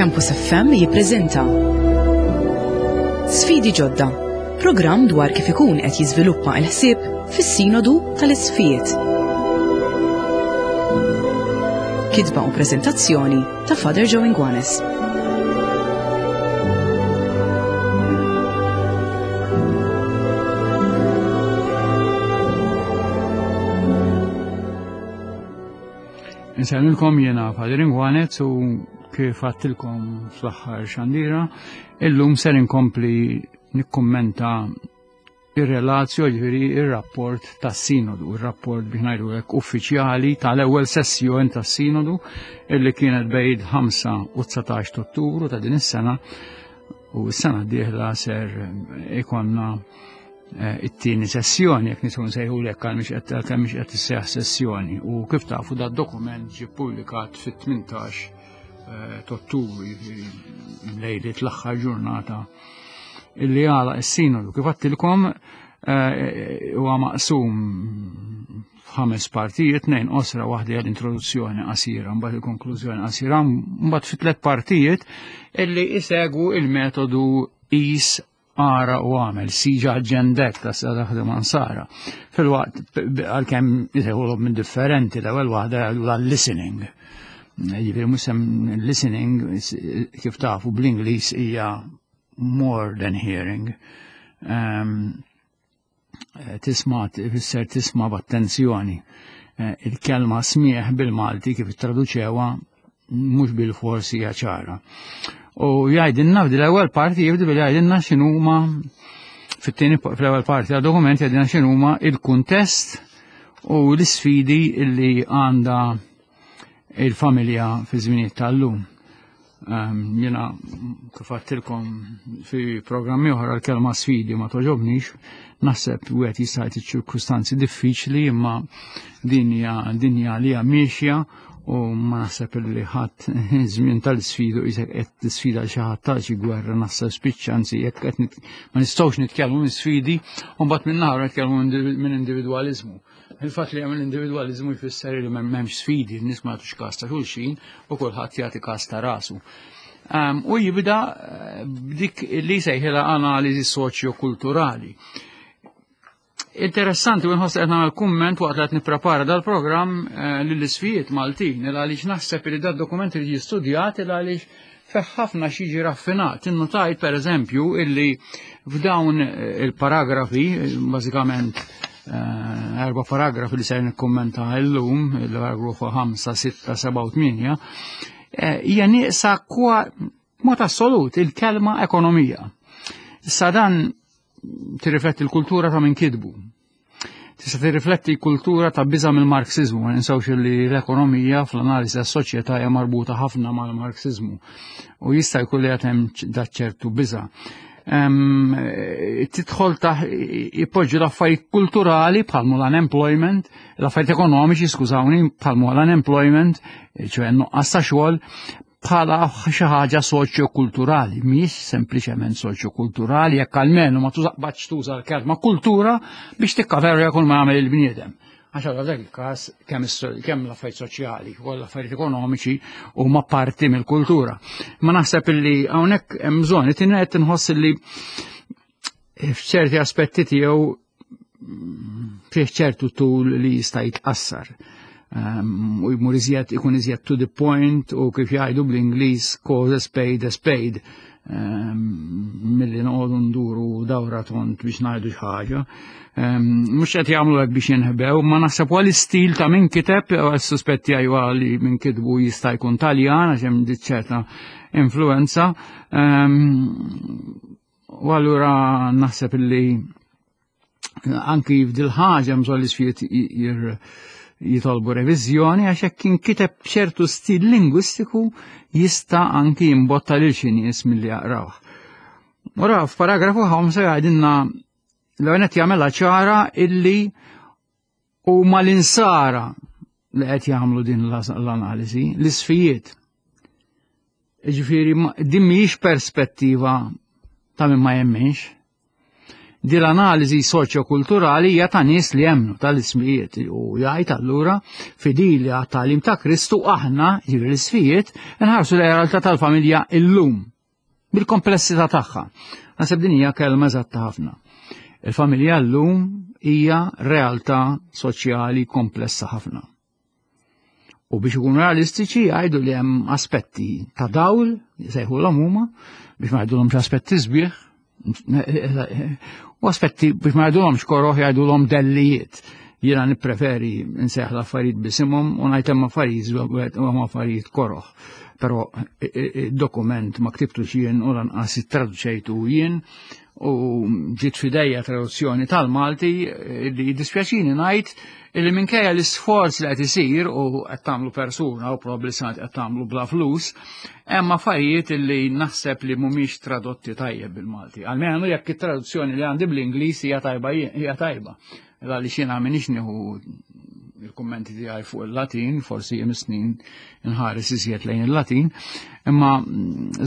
Campus FM jippreżenta Sfidi ġodda, programm dwar kif ikun qed jiżviluppa l-ħsieb fis-Sinodu tal-Isqfijiet. Kitba u preżentazzjoni ta' Father Joe Ingwanes. Insellmilkom jiena Father Ingwanet u kif għattilkom fl-aħħar xandira, illum ser inkompli nikkummenta ir-relazjo ġifieri ir-rapport tas-sinodu, ir-rapport biex ngħidu hekk uffiċjali tal-ewwel sessjoni tas-sinodu illi kienet bejn 5 u 19 Ottubru ta' din is-sena u s-sena d-dieħla ser ikonna eh, it-tieni sessjoni jekk nistgħu nsejħu lek għal mhix qed kemm mhix qed isseħħ sessjoni u kif tafu da dokument ġie ppubblikat fit-18 eh, Ottubru jiġifieri lejliet l-aħħar ġurnata illi għala is-sinodu. Kif għattilkom eh, huwa maqsum f'ħames partijiet, tnejn qosra waħda hija l-introduzzjoni qasira, mbagħad il-konklużjoni qasira, mbagħad fi tliet partijiet illi isegwu il-metodu is ara u għamel, siġa ġendek ta' sa' ansara. Fil-waqt, għal-kem jisegħu minn differenti, l-ewwel waħda l-listening. Jiġifieri mhux listening kif tafu bl-Ingliż hija more than hearing. Um, tisma' ifisser tisma' b'attenzjoni. Eh, il-kelma smieħ bil-Malti kif traduċewa mhux bil-forsi hija ċara. U jgħidilna f'dil ewwel parti jibdi billi jgħidilna x'inhuma fit-tieni fl-ewwel parti tad-dokument jgħidilna x'inhuma il-kuntest u l-isfidi li għandha il-familja fi żminijiet tal-lum. Ehm, jena kif għattilkom fi programmi oħra l-kelma sfidi ma toġobnix, naħseb wieħed jista' jgħid ċirkustanzi diffiċli imma dinja dinja li hija miexja u ma naħseb li ħadd żmien tal-sfidu jisek qed tisfida xi ħadd tal xi gwerra naħseb spiċċa anzi jekk qed ma nistgħux nitkellmu minn sfidi u mbagħad minn naħra nitkellmu minn individwaliżmu. Il-fatt li hemm l-individwaliżmu jfisser li m'hemmx sfidi, n-nies ma jagħtux każ ta' xulxin u kulħadd jagħti każ ta' rasu. Ehm, u jibda eh, b'dik li sejħilha analiżi soċjokulturali. Interessanti u nħoss qed nagħmel kumment waqt li qed nipprepara dal-programm eh, lill-isfijiet Maltin il għaliex naħseb li dad-dokument irid jistudjat il għaliex fih ħafna xi raffinat. Innotajt per eżempju illi f'dawn eh, il-paragrafi, bażikament eh, erba paragrafi li ser nikkummenta illum, il-paragrafu 5, 6, 7 u 8, hija nieqsa kwa mod assolut il-kelma ekonomija. Issa dan tirrifletti l-kultura ta' min kitbu. Tista' tirrifletti kultura ta' biża' mill-Marxiżmu, ma ninsewx li l-ekonomija fl-analiżi tas-soċjetà hija marbuta ħafna mal-Marxiżmu u jista' jkun li hemm ċertu biża'. Tidħol ta' ipoġġu l-affarijiet kulturali bħal l-unemployment, l-affarijiet ekonomiċi, skużawni, bħal l-unemployment, ċoħe nuqqas ta' xogħol, bħala xi ħaġa soċjokulturali, mhijiex sempliċement soċjokulturali, jekk almenu ma tużaqbatx tuża l-kelma kultura biex tikkaverja kull ma jagħmel il-bniedem. Għax għal dak il-każ kemm kemm l-affarijiet soċjali u l-affarijiet ekonomiċi huma parti mill-kultura. Ma naħseb illi hawnhekk hemm bżonn it qed inħoss illi f'ċerti aspetti tiegħu fih ċertu tul li jista' jitqassar. Um, u jmur iżjed ikun iżjed to the point u kif jgħidu bl-Ingliż cause a spade a spade. Um, milli noqogħdu nduru dawra tont biex ngħidu xi ħaġa. Um, mhux qed jagħmlu hekk biex jinħbew, ma naħseb għal istil ta' min kiteb, suspetti għajwa li min kitbu jista' jkun Taljan għax hemm ċerta influenza. Um, U allura naħseb illi anki f'dil ħaġa bżonn l-isfijiet jitolbu reviżjoni għax hekk inkiteb b'ċertu stil lingwistiku jista' anki jimbotta lil xi nies milli jaqrawh. Ora f'paragrafu 5 jgħidilna l-għonet jagħmilha ċara illi huma l-insara li qed jagħmlu din l-analiżi, l-isfijiet. Ġifieri din mhijiex perspettiva ta' min ma jemminx. Din l-analiżi soċjokulturali hija ta' nies li jemmnu tal-ismijiet u jgħid allura fidili għat-tagħlim ta' Kristu aħna, jiġifieri l-isfijiet, nħarsu lejn realtà tal-familja illum bil-komplessità tagħha. Naħseb din hija kelma eżatta ħafna. Il-familja llum hija realtà soċjali komplessa ħafna. U biex ikunu realistiċi jgħidu li hemm aspetti ta' dawl, jsejħulhom huma, biex ma jgħidulhomx aspetti sbieħ, u aspetti biex ma jgħidulhomx koroħ jgħidulhom dellijiet. Jiena nippreferi nsejħ l-affarijiet bisimhom u ngħid hemm affarijiet u hemm affarijiet koroħ. Però id-dokument ma ktibtux jien u lanqas ittraduċejtu jien u ġiet fidejja traduzzjoni tal-Malti li jiddispjaċini ngħid illi minkejja l-isforz li qed isir u qed tagħmlu persuna u probabbli sa qed tagħmlu bla flus, hemm affarijiet illi naħseb li mhumiex tradotti tajjeb bil-Malti. Almenu jekk it-traduzzjoni li għandi bl-Ingliż hija tajba hija tajba. Għaliex jiena m'iniex nieħu il-kummenti tiegħi fuq il-Latin, forsi jem snin nħares iżjed lejn il-Latin, imma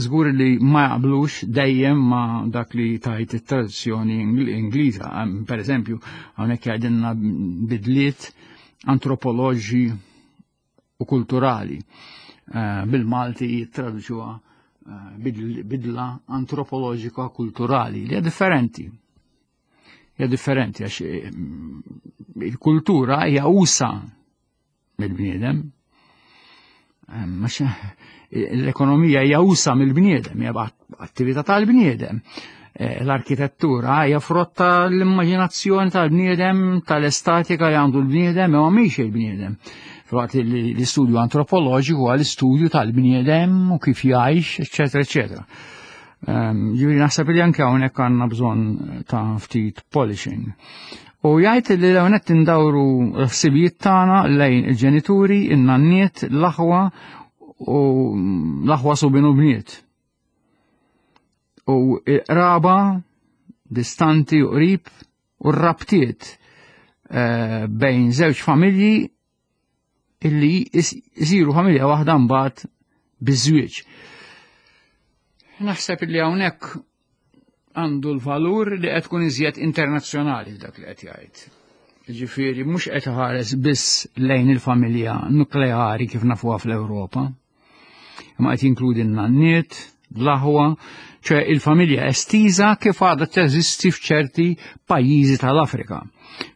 żgur li ma jaqblux dejjem ma dak li tajt it-tradizzjoni Ingliża. Per eżempju, hawnhekk jgħidilna bidliet antropoloġi u kulturali. Eh, bil-Malti jittraduċuha eh, bidla antropoloġika kulturali li hija differenti. Hija differenti għax eh, il-kultura hija usa mill-bniedem. Eh, l-ekonomija hija usa mill-bniedem, hija attività tal-bniedem. Eh, l-arkitettura hija frotta l-immaġinazzjoni tal-bniedem, tal-estatika li għandu l-bniedem, imma mhix il-bniedem. Filwaqt li l-istudju antropoloġiku għal istudju tal-bniedem u kif jgħix, eċetera, eċetera. Ehm, ġifieri naħseb li anke hawnhekk għandna bżonn ta' ftit polishing. U jgħid li l qed indawru l-ħsibijiet tagħna lejn il-ġenituri, in-nanniet, l-aħwa u l-aħwa subin u bniet. U qraba distanti u qrib u r-rabtiet eh, bejn żewġ familji illi jisiru familja waħda mbagħad biż-żwieġ. Naħseb illi hawnhekk għandu l-valur li qed tkun iżjed internazzjonali f'dak li qed jgħid. Ġifieri mhux qed ħares biss lejn il-familja nukleari kif nafuha fl-Ewropa, imma qed jinkludi n-nanniet, l-aħwa, ċe il-familja estiża kif għadha teżisti f'ċerti pajjiżi tal-Afrika.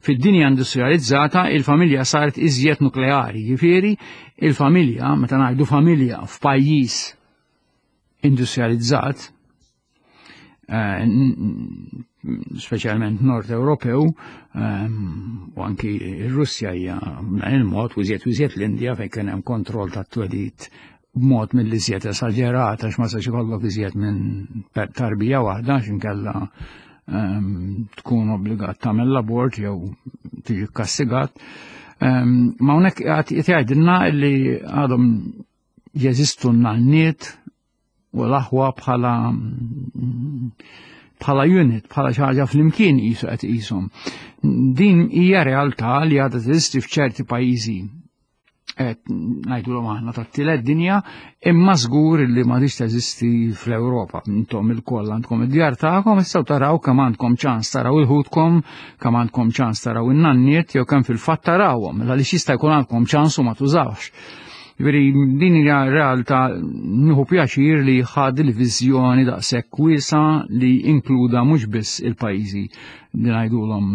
Fid-dinja industrializzata il-familja saret iżjed nukleari, jiġifieri il-familja, meta ngħidu familja f'pajjiż industrializzat, eh, speċjalment Nord Ewropew, eh, u anki r-Russja hija b'dan il-mod, u iżjed u iżjed l-Indja fejn kien hemm kontroll tat-twelid b'mod mill-iżjed esaġerat għax ma sax ikollok iżjed minn tarbija waħda għax inkella ehm, tkun obbligat tagħmel l-abort jew tiġi kkastigat. Ehm, ma hawnhekk qed jgħidilna li għadhom jeżistu n-nanniet u l-aħwa bħala bħala unit, bħala xi ħaġa flimkien qisu qed qishom. Din hija realtà li għadha teżisti f'ċerti pajjiżi qed ngħidulhom aħna tat-tielet dinja, imma żgur li m'għadix teżisti fl-Ewropa. Intom ilkoll għandkom id-djar tagħkom, issa taraw kemm għandkom ċans taraw il-ħutkom, kemm għandkom ċans taraw in-nanniet jew kemm fil-fatt tarawhom, għaliex jista' jkun għandkom ċans u ma tużawx. Ġifieri din hija realtà nieħu pjaċir li ħad il-viżjoni daqshekk wiesa li inkluda mhux biss il-pajjiżi li ngħidulhom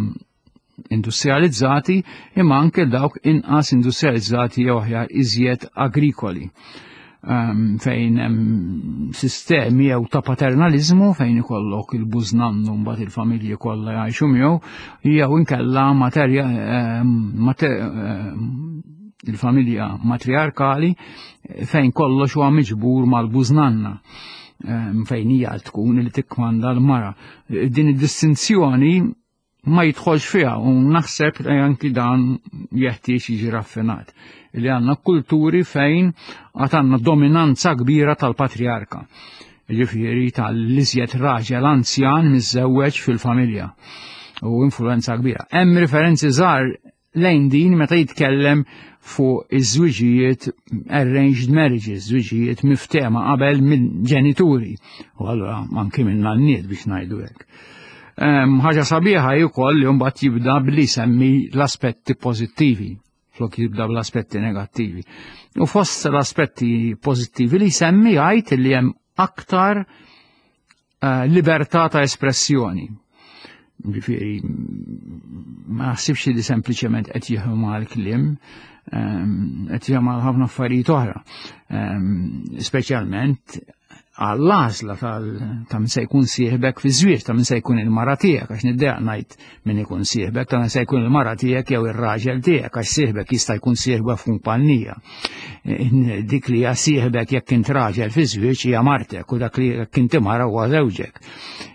industrializzati imma anke dawk inqas industrializzati jew aħjar iżjed agrikoli ehm, fejn hemm sistemi jew ta' paternalizmu fejn ikollok il-bużnannu mbagħad il-familji kollha jgħixu miegħu jew inkella materja ehm, ehm, il-familja matriarkali fejn kollox huwa miġbur mal-bużnanna fejn hija tkun li tikkmanda l-mara. Din id-distinzjoni ma jidħolx fiha u naħseb li anki dan jeħtieġ jiġi raffinat. Li għandna kulturi fejn għad għandna dominanza kbira tal-patriarka. Ġifieri tal-iżjed raġel anzjan miżżewweġ fil-familja u influenza kbira. Hemm referenzi żgħar lejn din meta jitkellem fuq iż-żwiġijiet arranged marriages, żwiġijiet miftema qabel minn ġenituri. U allura anki minn nanniet biex ngħidu hekk. Ħaġa sabiħa hi wkoll li mbagħad jibda billi jsemmi l-aspetti pożittivi flok jibda bl-aspetti negattivi. U fost l-aspetti pożittivi li jsemmi jgħid li hemm aktar eh, libertà ta' espressjoni. Ġifieri ma naħsibx li sempliċement qed jieħu mal-kliem, ehm, qed jieħu mal ħafna affarijiet oħra. Ehm, speċjalment għall-għażla ta' min se jkun sieħbek fi żwieġ, ta' min se jkun il-mara tiegħek, għax niddejaq ngħid min ikun sieħbek, ta' min se jkun il-mara tiegħek jew ir-raġel tiegħek, għax sieħbek jista' jkun sieħbek f'kumpanija. Dik li hija sieħbek jekk int raġel fi żwieġ hija martek u dak li jekk inti mara huwa żewġek.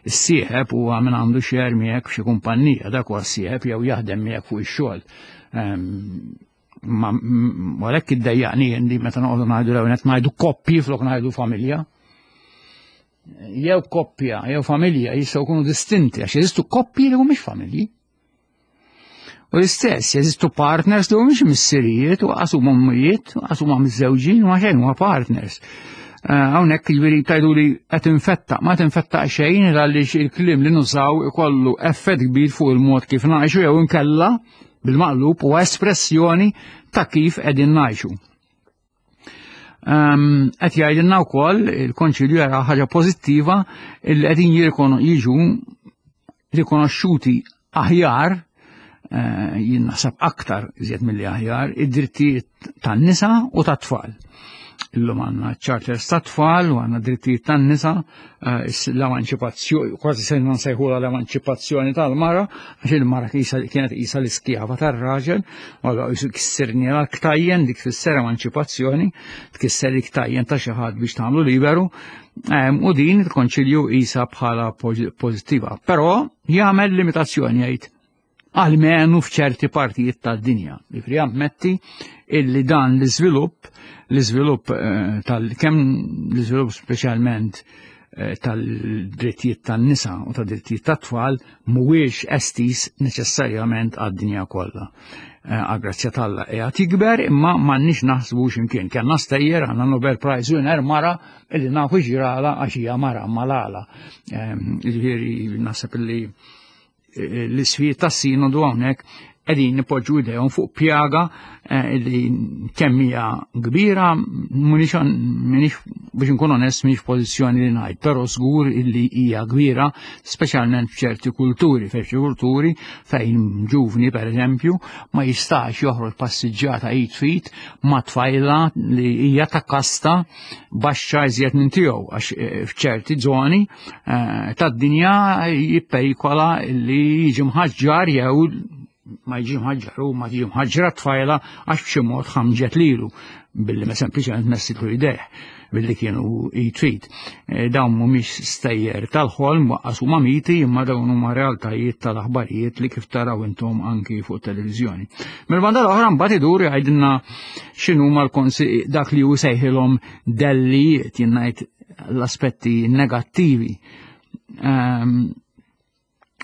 Is-sieħeb huwa min għandu xer miegħek f'xi kumpanija, dak huwa s-sieħeb jew jaħdem miegħek fuq ix-xogħol. Ehm, ma għalhekk iddejjaqni li meta noqogħdu ngħidu l qed ngħidu koppji flok ngħidu familja. Jew koppja, jew familja jistgħu jkunu distinti għax jeżistu koppji li mhumiex familji. U l-istess, jeżistu partners li mhumiex missirijiet u qas huma ommijiet, u qas huma miżżewġin, ma xejn huma partners. Eh, hawnhekk jiġifieri tajdu li qed infetta, ma tinfetta xejn għaliex il-kliem li nużaw ikollu effett kbir fuq il-mod kif ngħixu jew inkella bil-maqlub huwa espressjoni ta' kif qegħdin ngħixu. Ehm, qed jgħidilna wkoll il-Konċilju jara ħaġa pożittiva li qegħdin jiġu rikonoxxuti aħjar eh, jien naħseb aktar iżjed milli aħjar id-drittijiet tan-nisa u tat-tfal. Illum għandna charters tat-tfal u għandna drittijiet tan-nisa, eh, l-emanċipazzjoni, kważi se nsejħula l-emanċipazzjoni tal-mara, għax il-mara kienet qisha l-iskjava tar-raġel, u allura jisu kissirni l-ktajjen dik tfisser emanċipazzjoni, tkisser l-ktajjen ta' xi ħadd biex tagħmlu liberu, ehm, u din il-konċilju qisha bħala pożittiva. Però jagħmel limitazzjoni jgħid almenu f'ċerti partijiet tad-dinja. Ġifieri jammetti illi dan l-iżvilupp, l-iżvilupp eh, tal kemm l-iżvilupp speċjalment eh, tal-drittijiet tan-nisa u tad-drittijiet tat-tfal mhuwiex estis neċessarjament għad-dinja kollha. Eh, għal-grazzja t'Alla qiegħed jikber imma m'għandniex naħsbu x'imkien. Kellna stejjer għandna Nobel Prize winner mara illi nafu ġirala għax hija mara malala. Ġifieri naħseb illi l-isfijiet tas-sinodu hawnhekk qegħdin nipoġġu idejhom fuq pjaga eh, li kemm hija kbira m'iniex biex inkun onest m'iniex pożizzjoni li ngħid, però żgur illi hija kbira speċjalment f'ċerti kulturi, f'ċerti kulturi fejn ġuvni pereżempju ma jistax joħroġ passiġġata id fit ma' tfajla li hija ta' kasta baxxa iżjed minn tiegħu għax eh, f'ċerti żoni eh, tad-dinja jipperikola li jiġi mħaġġar jew ma jiġi mħaġġar u ma jiġi mħaġġra tfajla għax b'xi mod ħamġet lilu billi ma sempliċement messitlu idejh billi kienu jitrid. Eh, dawn mhumiex stejjer tal-ħolm waqqas huma miti imma dawn huma realtajiet tal-aħbarijiet li kif taraw intom anki fuq televiżjoni. Mill-banda l-oħra mbagħad idur jgħidilna x'inhuma l-konsi dak li hu sejħilhom dellijiet jien ngħid l-aspetti negattivi. Ehm,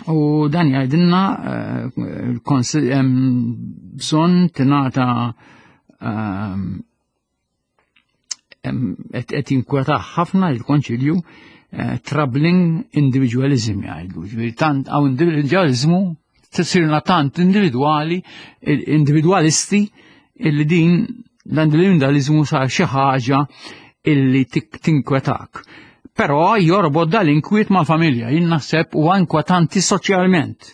u dan jgħidilna eh, bżonn tingħata ehm, qed jinkweta ħafna il-konċilju eh, troubling individualism jgħidu. Ġifieri tant hawn individualizmu tsirna tant individwali, individwalisti illi din l-individualizmu sar xi ħaġa illi tinkwetak. Però jorbot dal-inkwiet mal-familja, jien naħseb huwa inkwetanti soċjalment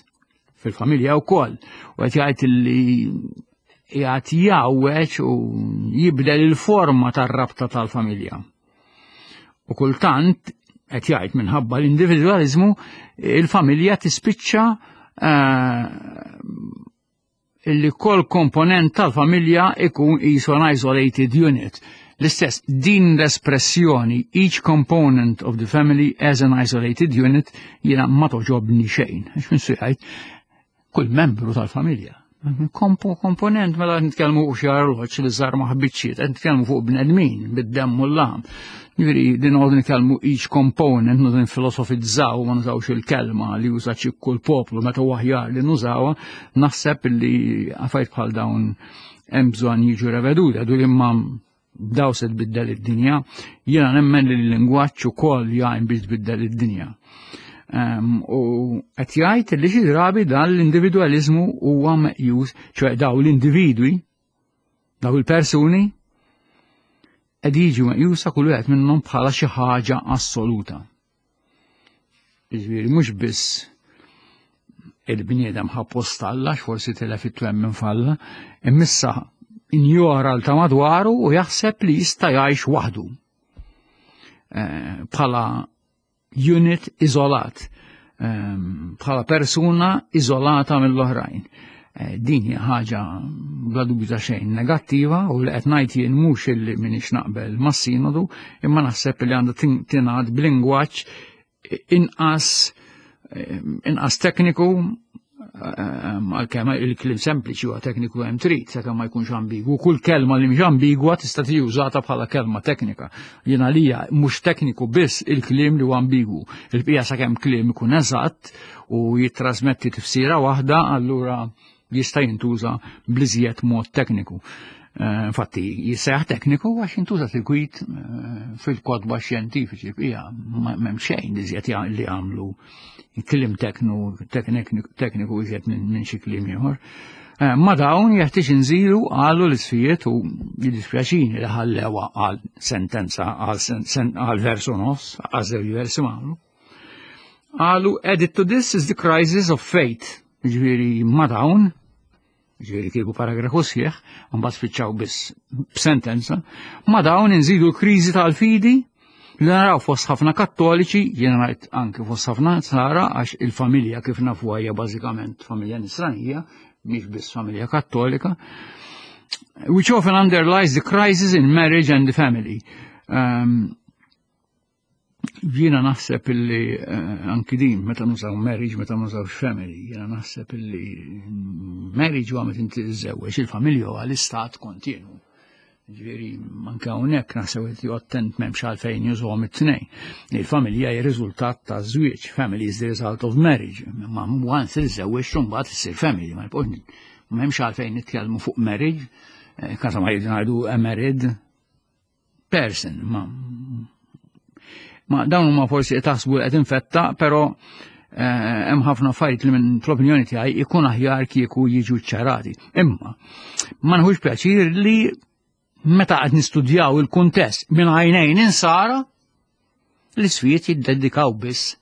fil-familja wkoll. U qed jgħid illi qiegħed jgħawweġ u jibdel il-forma tar-rabta tal-familja. U kultant qed jgħid minħabba l-individwaliżmu il-familja tispiċċa eh, illi kol komponent tal-familja ikun qisu an isolated unit. L-istess, din l-espressjoni each component of the family as an isolated unit jiena ma toġobni xejn. Għax minn jgħid kull membru tal-familja. Kompo, komponent mela nitkellmu fuq xi arloġġ li żar ma ħbiċċiet, qed nitkellmu fuq bnedmin bid-demm u l-laħam. Jiġifieri din noqogħdu nitkellmu each component, noqogħdu nfilosofizzaw ma nużawx il-kelma li juża kull poplu meta huwa aħjar li nużawha, naħseb li affarijiet bħal dawn hemm bżonn jiġu reveduti, għadu li imma daw se tbiddel id-dinja, jiena nemmen li l-lingwaġġ ukoll jgħin biex tbiddel id-dinja. U qed jgħid li xi drabi dan l-individwaliżmu huwa meqjus, ċoe daw l-individwi, daw il-persuni, qed jiġu meqjusa kull wieħed minnhom bħala xi ħaġa assoluta. Jiġifieri mhux biss il-bniedem ħa post Alla, forsi tilef it-twemmin f'Alla, imma injora l ta' madwaru u jaħseb li jista' jgħix waħdu. Eh, bħala unit iżolat, ehm, bħala persuna iżolata mill-oħrajn. Eh, din hija ħaġa bla dubju ta' xejn negattiva u li qed ngħid jien mhux illi m'iniex naqbel mas-sinodu, imma naħseb li għandha tingħad b'lingwaġġ inqas eh, inqas tekniku eh, għalkemm il-kliem sempliċi huwa tekniku hemm trid sakemm ma jkunx ambigwu. Kull kelma li mhix ambigwa tista' tiġi użata bħala kelma teknika. Jien għalija mhux tekniku biss il-kliem li huwa ambigwu. Il-bqija sakemm kliem ikun eżatt u jittrasmetti tifsira waħda, allura jista' jintuża bliżjed mod tekniku. Eh, infatti, jisseħ tekniku għax jintuża sikwit eh, fil-kodba xjentifiċi hija m'hemm xejn li żjed li għamlu kliem tekniku iżjed minn xi kliem ieħor. Eh, ma dawn jeħtieġ inżilu għalu l-isfijiet u jiddispjaċini li ħallewa għal sentenza għal versu nofs, għal żewġ versi magħmlu. Qalu added to this is the crisis of faith. Ġifieri ma dawn, ġifieri kieku paragrafu sħiħ, mbagħad spiċċaw biss b'sentenza, ma dawn inżidu l-kriżi tal-fidi li naraw fost ħafna kattoliċi, jiena ngħid anke fost ħafna sara għax il-familja kif nafu hija bażikament familja nisranija, mhix biss familja kattolika, which often underlies the crisis in marriage and the family. Um, Jiena naħseb illi eh, anki din meta nużaw marriage, meta nużaw family, jiena naħseb illi marriage huwa meta inti tiżżewweġ, il-familja huwa l-istat kontinu. Ġifieri anke hawnhekk naħseb li attent m'hemmx għalfejn jużuhom it-tnejn. Il-familja hija riżultat ta' żwieġ, family is the result of marriage. Ma once tiżżewweġ mbagħad issir family, ma m'hemmx għalfejn nitkellmu fuq marriage, eh, kasa ma jgħidu a married person. Ma, ma dawn huma forsi qed taħsbu qed infetta, però eh, hemm ħafna affarijiet li minn fl-opinjoni tiegħi ikun aħjar kieku jiġu ċarati. Imma ma nħux pjaċir li meta qed nistudjaw il-kuntest minn għajnejn insara l-isfijiet jiddedikaw biss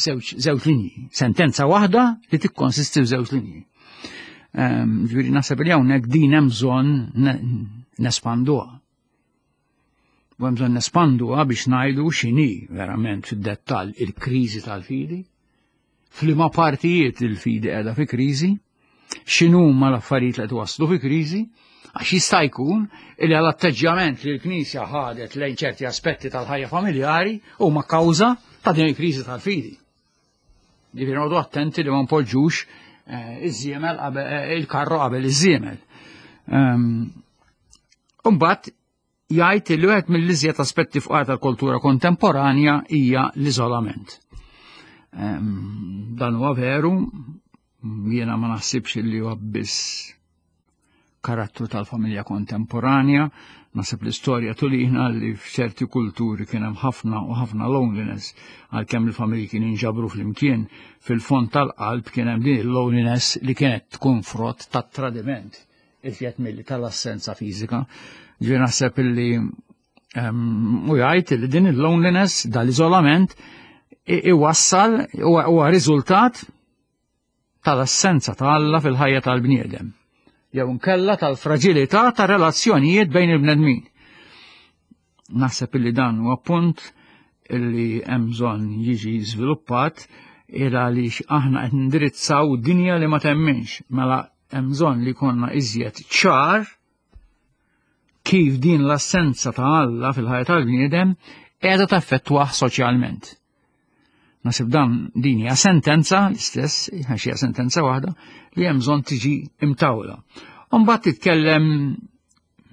żewġ linji, sentenza waħda li tikkonsisti f'żewġ linji. Ehm, ġifieri naħseb li hawnhekk din hemm bżonn nespanduha. U hemm bżonn nespanduha biex ngħidu x'inhi verament fid-dettall il-kriżi tal-fidi, f'liema partijiet il-fidi qiegħda fi kriżi, x'inhuma l-affarijiet li qed waslu fi kriżi, għax jista' jkun li għal atteġġjament li l-Knisja ħadet lejn ċerti aspetti tal-ħajja familjari huma kawża ta' din il-kriżi tal-fidi. Ġifieri noqogħdu attenti li ma npoġġux eh, iż-żiemel eh, il-karru qabel iż-żiemel. Ehm, Imbagħad jgħid li wieħed mill-iżjed aspetti fqar tal-kultura kontemporanja hija l-iżolament. Ehm, dan huwa veru, jiena ma naħsibx li huwa biss karattru tal-familja kontemporanja, naħseb l-istorja tulina li f'ċerti kulturi kien hemm ħafna u ħafna loneliness għalkemm il-familji kienu jinġabru flimkien fil-fond tal-qalb kien hemm din il-loneliness li kienet tkun frott tat-tradiment iżjed milli tal-assenza fiżika. Ġi naħseb illi ehm, u jgħid li din il-loneliness, dal-iżolament, iwassal huwa riżultat tal-assenza ta' Alla fil-ħajja tal-bniedem jew nkella tal-fraġilità ta' relazzjonijiet bejn il-bnedmin. Naħseb illi dan huwa punt illi hemm bżonn jiġi żviluppat il għaliex aħna qed nindirizzaw dinja li ma temminx, mela hemm bżonn li jkollna iżjed ċar kif din l-assenza ta' Alla fil-ħajja tal-bniedem qiegħda taffettwah soċjalment. Nasib dan din hija sentenza l-istess, għax hija sentenza waħda, li hemm bżonn tiġi imtawla. Mbagħad titkellem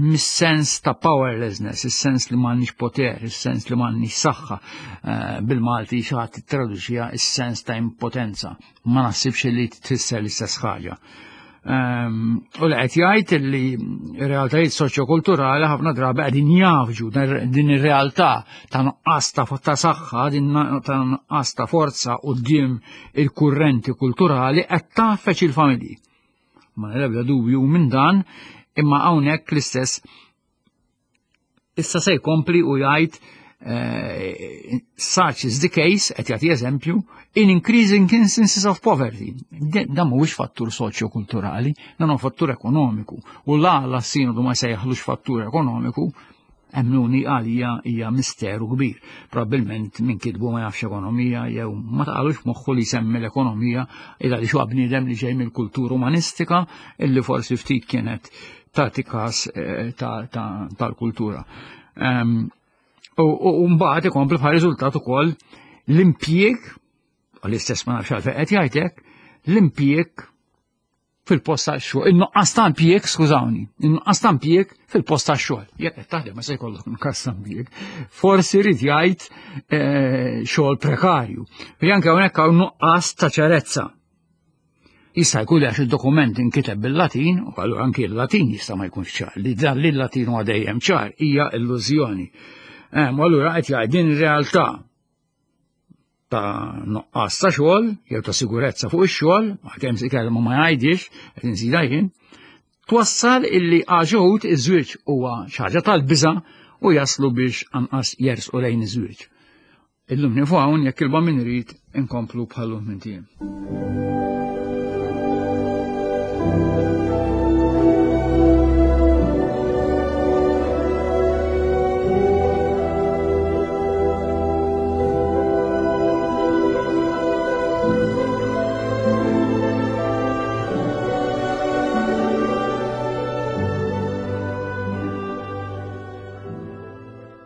mis-sens ta' powerlessness, is-sens li m'għandniex poter, is-sens li m'għandniex saħħa, eh, bil-Malti xi ħadd tittraduċiha is-sens ta' impotenza. Ma naħsibx li tfisser l-istess ħaġa. Ehm, u li qed jgħid li realtajiet soċjokulturali ħafna drabi qegħdin jafġu din ir-realtà ta' nuqqas ta' ta' saħħa, din ta' nuqqas ta' forza quddiem il-kurrenti kulturali qed tafeċ il-familji. Ma l-ebda dubju minn dan, imma hawnhekk l-istess Issa se jkompli u jgħid eh, such is the case, qed jagħti eżempju, in increasing instances of poverty. Dan mhuwiex fattur soċjo-kulturali, dan huwa fattur ekonomiku. U la la sinodu ma sejjaħlux fattur ekonomiku, emmnuni għalija hija misteru kbir. Probabilment minn kitbu ma jafx ekonomija jew ma taqalux moħħu li jsemmi l-ekonomija illa li huwa bniedem li ġej mill-kultura umanistika illi forsi ftit kienet tagħti każ eh, tal-kultura. Ehm, u mbagħad ikompli bħal riżultat ukoll l-impjieg, l-istess ma nafx għalfejn qed jgħidlek, l-impjieg fil-post tax-xogħol, in-nuqqas ta' impjieg, skużawni, in-nuqqas ta' impjieg fil-post tax-xogħol. Jekk qed taħdem ma se jkollok nuqqas ta' impjieg. Forsi rid jgħid eh, xogħol prekarju. Anke hawnhekk hawn nuqqas ta' ċarezza. Jista' jkun li għax id-dokument inkiteb bil-Latin, u allura anki l-Latin jista' ma jkunx ċar, li dan li l-Latin huwa dejjem ċar hija illużjoni. Eh, u allura qed jgħid din realtà ta' nuqqas ta' xogħol jew ta' sigurezza fuq ix-xogħol, għalkemm se kelma ma jgħidix, qed inżidha jien, twassal illi għaxuħut iż-żwieġ huwa xi ħaġa tal-biża' u jaslu biex anqas jersqu lejn iż-żwieġ. Illum nieqfu hawn jekk il min irid inkomplu bħal-lum minn tiem.